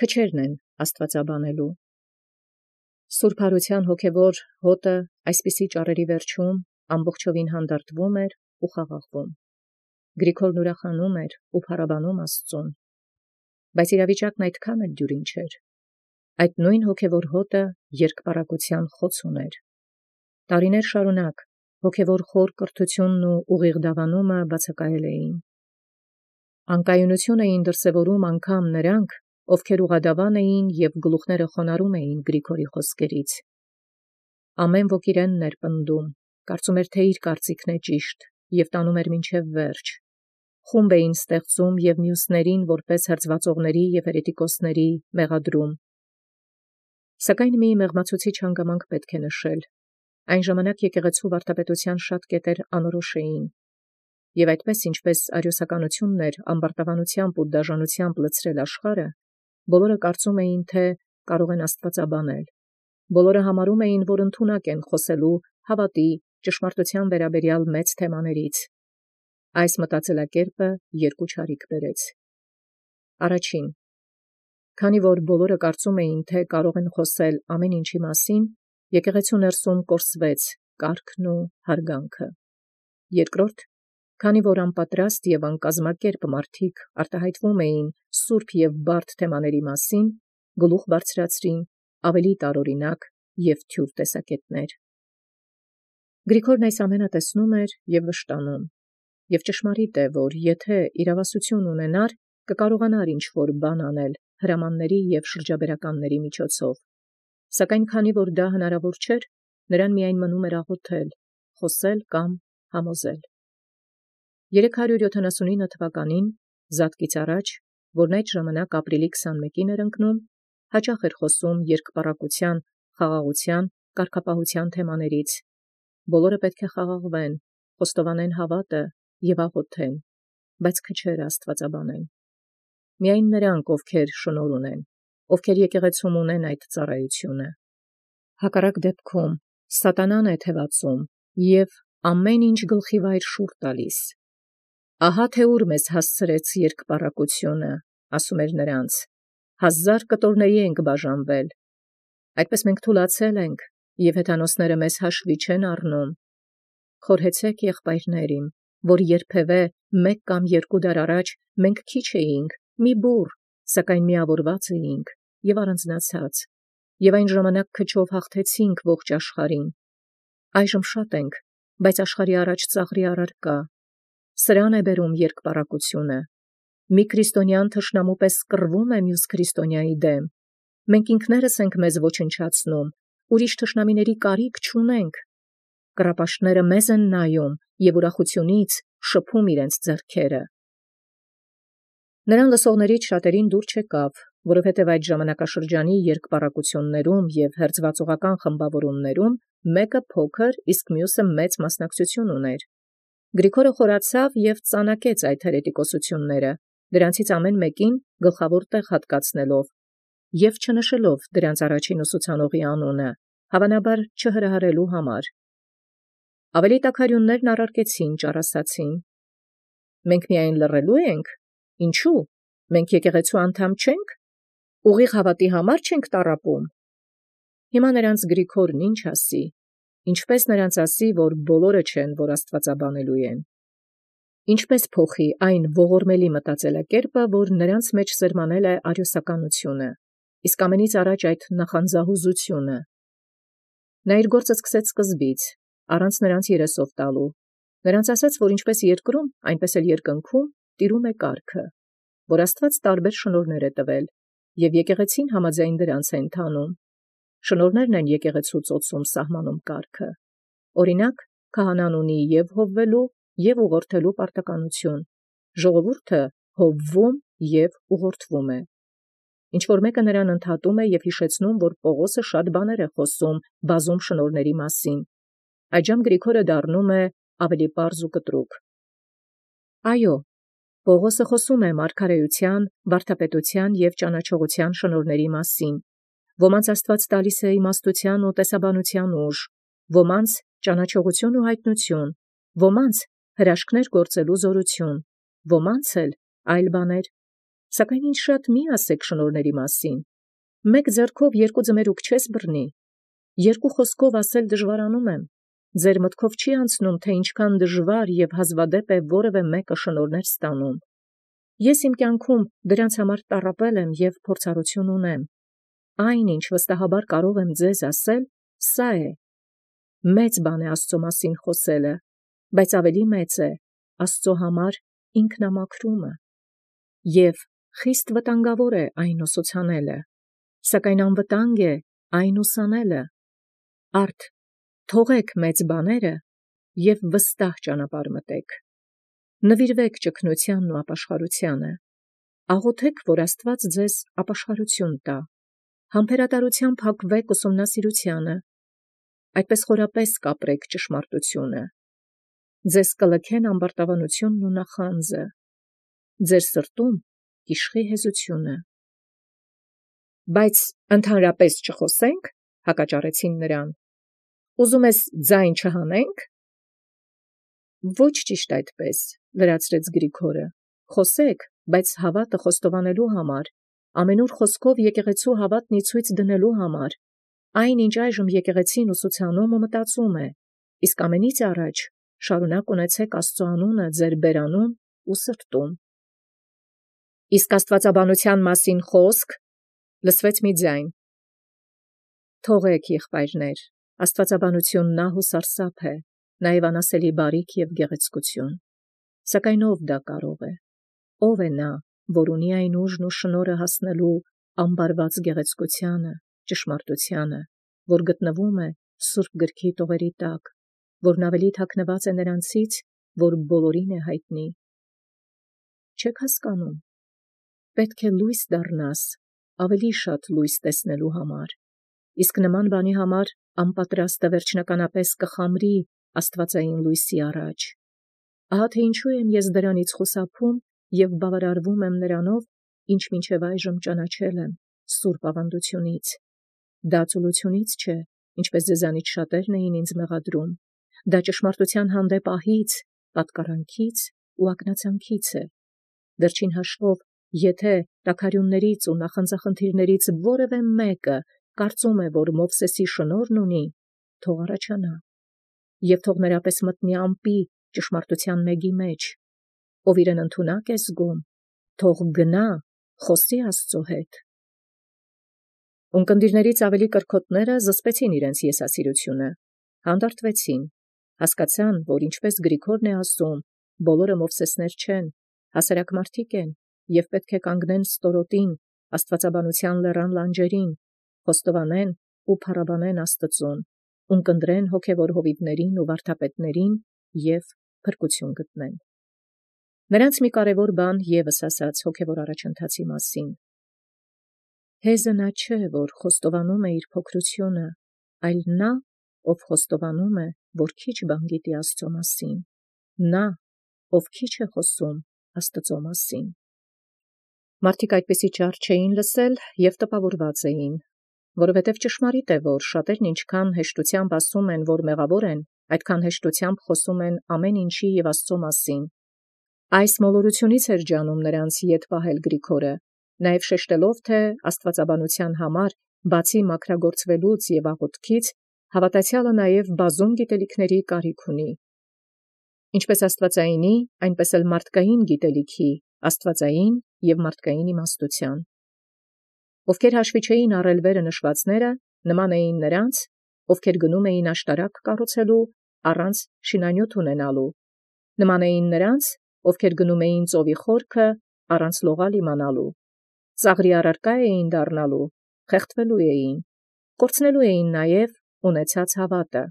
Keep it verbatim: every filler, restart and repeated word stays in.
քչերն են աստուածաբանելու։ Սուրբ Հարութեան հոգևոր հոտը այսպիսի ճառերի վերջում ամբողջովին հանդարտվում էր ու խաղաղվում։ Գրիգորն ուրախանում էր ու փառաբանում Աստուծուն, բայց իրավիճակն այդքան էլ դյուրին չէր։ Այդ նույն հոգևոր հոտը երկպարակության խոց ուներ։ Տարիներ շարունակ հոգևոր խոր կրթութիւնն ու ուղիղ դավանումը բացակայել էին։ Անկայունություն էին դրսևորում անգամ նրանք, ովքեր ուղադավան էին և գլուխները խոնարհում էին Գրիգորի խոսքերից։ Ամեն ոք իրենն էր պնդում, կարծում էր, թե իր կարծիքն է ճիշտ և տանում էր մինչև վերջ։ Խումբ էին ստեղծում և մյուսներին որպես հրձվածողների և հերետիկոսների մեղադրում։ Սակայն մի մեղմացուցիչ հանգամանք պետք է նշել. այն ժամանակ եկեղեցու վարդապետության շատ կետեր անորոշ էին, և այդպես ինչպես արիոսականությունն էր ամբարտավանությամբ ու դաժանությամբ լցրել աշխարհը, բոլորը կարծում էին, թե կարող են աստվածաբանել։ Բոլորը համարում էին, որ ընդունակ են խոսելու հավատի, ճշմարտության վերաբերյալ մեծ թեմաներից։ Այս մտածելակերպը երկու չարիք բերեց։ Առաջին, քանի որ բոլորը կարծում էին, թե կարող են խոսել ամեն ինչի մասին, եկեղեցու ներսում կորսվեց կարգն ու հարգանքը։ Երկրորդ, քանի որ անպատրաստ և անկազմակերպ մարդիկ արտահայտվում էին սուրբ և բարդ թեմաների մասին, գլուխ բարձրացրին ավելի տարօրինակ և թյուր տեսակետներ։ Գրիգորն այս ամենը տեսնում էր և վշտանում, և ճշմարիտ է, որ եթե իրավասություն ունենար, կկարողանար ինչ-որ բան անել հրամանների և շրջաբերականների միջոցով։ Սակայն քանի որ դա հնարավոր չէր, նրան միայն մնում էր աղոթել, խոսել կամ համոզել։ երեք հարյուր յոթանասունինը թվականին, Զատկից առաջ, որն այդ ժամանակ ապրիլի քսանմեկին էր ընկնում, հաճախ էր խոսում երկպառակության, խաղաղության, կարգապահության թեմաներից։ Բոլորը պետք է խաղաղվեն, խոստովանեն հավատը և աղոթեն, բայց քչերը աստվածաբանեն։ Միայն նրանք, ովքեր շնորհ ունեն, ովքեր եկեղեցում ունեն այդ ծառայությունը։ Հակառակ դեպքում սատանան է թևածում և ամեն ինչ գլխիվայր շուռ տալիս։ Ահա թե ուր մեզ հասցրեց երկպառակությունը, ասում էր նրանց, հազար կտորների ենք բաժանվել։ Այդպես մենք թուլացել ենք, և հեթանոսները մեզ հաշվի չեն առնում։ Խորհեցեք, եղբայրներ իմ, որ երբևէ մեկ կամ երկու դար առաջ մենք քիչ էինք, մի բուռ, սակայն միավորված էինք և առանձնացած, և այն ժամանակ քչով հաղթեցինք ողջ աշխարհին։ Այժմ շատ ենք, բայց աշխարհի առաջ ծաղրի առարկա։ Սրան է բերում երկպառակությունը։ Մի քրիստոնյան թշնամու պես կռվում է մյուս քրիստոնյայի դեմ։ Մենք ինքներս ենք մեզ ոչնչացնում, ուրիշ թշնամիների կարիք չունենք։ Կռապաշտները մեզ են նայում և ուրախությունից շփում իրենց ձեռքերը։ Նրան լսողներից շատերին դուր չեկավ, որովհետև այդ ժամանակաշրջանի երկպառակություններում և հերձվածողական խմբավորումներում մեկը փոքր, իսկ մյուսը մեծ մասնակցություն ուներ։ Գրիգորը խորացավ և ծանակեց այդ հերետիկոսությունները, դրանցից ամեն մեկին գլխավոր տեղ հատկացնելով և չնշելով դրանց առաջին ուսուցանողի անունը, հավանաբար չհրահարելու համար։ Ավելի տաքարյուններն առարկեցին ճառասացին. «Մենք միայն լռելո՞ւ ենք. ինչու՞, մենք եկեղեցու անդամ չենք, ուղիղ հավատի համար չենք տառապում»։ Հիմա նրանց Գրիգորն ինչ ասի, ինչպես նրանց ասի, որ բոլորը չեն, որ աստվածաբանելու են։ Ինչպես փոխի այն ողորմելի մտածելակերպը, որ նրանց մեջ սերմանել է արիոսականությունը, իսկ ամենից առաջ այդ նախանձահուզությունը։ Նա իր գործը սկսեց սկզբից, առանց նրանց երեսով տալու։ Նրանց ասաց, որ ինչպես երկրում, այնպես էլ երկնքում տիրում է կարգը, որ Աստված տարբեր շնորհներ է տվել, և եկեղեցին համաձայն դրանց է ընթանում։ Շնորհներն են եկեղեցու ծոցում սահմանում կարգը։ Օրինակ, քահանան ունի և հովվելու, և ուղղորդելու պարտականություն, ժողովուրդը հովվում և ուղղորդվում է։ Ինչ-որ մեկը նրան ընդհատում է և հիշեցնում, որ Պողոսը շատ բաներ է խոսում բազում շնորհների մասին։ Այդժամ Գրիգորը դառնում է ավելի պարզ ու կտրուկ։ Այո, Պողոսը խոսում է մարգարեության, վարդապետության և ճանաչողության շնորհների մասին։ Ոմանց Աստված տալիս է իմաստության ու տեսաբանության ուժ, ոմանց ճանաչողություն ու հայտնություն, ոմանց հրաշքներ գործելու զորություն, ոմանց էլ այլ բաներ։ Սակայն ինձ շատ մի ասեք շնորհների մասին. մեկ ձեռքով երկու ձմերուկ չես բռնի, երկու խոսքով ասել դժվարանում եմ, ձեր մտքով չի անցնում, թե ինչքան դժվար և հազվադեպ է որևէ մեկը շնորհներ ստանում։ Ես իմ կյանքում դրանց համար տառապել եմ և փորձառություն ունեմ։ Այն, ինչ վստահաբար կարող եմ ձեզ ասել, սա է. մեծ բան է Աստծո մասին խոսելը, բայց ավելի մեծ է Աստծո համար ինքնամաքրումը, և խիստ վտանգավոր է այն ուսուցանելը, սակայն անվտանգ է այն ուսանելը։ Արդ թողեք մեծ բաները և վստահ ճանապարհ մտեք։ Նվիրվեք ճգնությանն ու ապաշխարությանը, աղոթեք, որ Աստված ձեզ ապաշխարություն տա, համբերատարությամբ հակվեք ուսումնասիրությանը, այդպես խորապես կապրեք ճշմարտությունը, ձեզ կլքեն ամբարտավանությունն ու նախանձը, ձեր սրտում կիշխի հեզությունը։ Բայց ընդհանրապես չխոսե՞նք, հակաճառեցին նրան, ուզում ես ձայն չհանենք։ Ոչ ճիշտ այդպես, լրացրեց Գրիգորը, խոսեք, բայց հավատը խոստովանելու համար, ամենուր խոսքով եկեղեցու հավատն ի ցույց դնելու համար, այն ինչ այժմ եկեղեցին ուսուցանում ու մտածում է, իսկ ամենից առաջ շարունակ ունեցեք Աստծո անունը ձեր բերանում ու սրտում։ Իսկ աստվածաբանության մասին խոսք, լսվեց մի ձայն։ Թողեք, եղբայրներ, աստվածաբանությունն ահ ու սարսափ է, նաև անասելի բարիք և գեղեցկություն, սակայն ով դա կարող է, ով է նա, որ ունի այն ուժն ու շնորհը հասնելու ամբարված գեղեցկությանը, ճշմարտությանը, որ գտնվում է Սուրբ գրքի տողերի տակ, որն ավելի թաքնված է նրանցից, որ բոլորին է հայտնի։ Չեք հասկանում, պետք է լույս դառնաս, ավելի շատ լույս տեսնելու համար, իսկ նման բանի համար անպատրաստը վերջնականապես կխամրի աստվածային լույսի առաջ։ Ահա թե ինչու եմ ես դրանից խուսափում և բավարարվում եմ նրանով, ինչ մինչև այժմ ճանաչել եմ սուրբ ավանդությունից։ Դա ծուլությունից չէ, ինչպես ձեզանից շատերն էին ինձ մեղադրում, դա ճշմարտության հանդեպ ահից, պատկառանքից ու ակնածանքից է։ Վերջին հաշվով, եթե տաքարյուններից ու նախանձախնդիրներից որևէ մեկը կարծում է, որ Մովսեսի շնորհն ունի, թող առաջանա, և թող նրա պես մտնի ամպի ճշմարտության մեգի մեջ, ով իրեն ընդունակ է զգում, թող գնա, խոսի Աստծո հետ։ Ունկնդիրներից ավելի կրքոտները զսպեցին իրենց եսասիրությունը, հանդարտվեցին, հասկացան, որ ինչպես Գրիգորն է ասում, բոլորը Մովսեսներ չեն, հասարակ մարդիկ են, և պետք է կանգնեն ստորոտին, աստվածաբանության լեռան լանջերին, խոստովանեն ու փառաբանեն Աստծուն, ունկնդրեն հոգևոր հովիվներին ու վարդապետներին և փրկություն գտնեն։ Նրանց մի կարևոր բան ևս ասաց հոգևոր առաջընթացի մասին. հեզը նա չէ, որ խոստովանում է իր փոքրությունը, այլ նա, ով խոստովանում է, որ քիչ բան գիտի Աստծո մասին, նա, ով քիչ է խոսում Աստծո մասին։ Մարդիկ այդպիսի ճառ չէին լսել և տպավորված էին, որովհետև ճշմարիտ է, որ շատերն ինչքան հեշտությամբ ասում են, որ մեղավոր են, այդքան հեշտությամբ խոսում են ամեն ինչի և Աստծո մասին։ Այս մոլորությունից էր ջանում նրանց ետ պահել Գրիգորը, նաև շեշտելով, թե աստվածաբանության համար, բացի մաքրագործվելուց և աղոթքից, հավատացյալը նաև բազում գիտելիքների կարիք ունի։ Ինչպես աստվածայինի, այնպես էլ մարդկային գիտելիքի, աստվածային և մարդկային իմաստության։ Ովքեր հաշվի չէին առել վերը նշվածները, նման էին նրանց, ովքեր գնում էին աշտարակ կառուցելու առանց շինանյութ ունենալու, նման էին նրանց, ովքեր գնում էին ծովի խորքը առանց լողալ իմանալու, ծաղրի առարկա էին դառնալու, խեղդվելու էին, կորցնելու էին նաև ունեցած հավատը։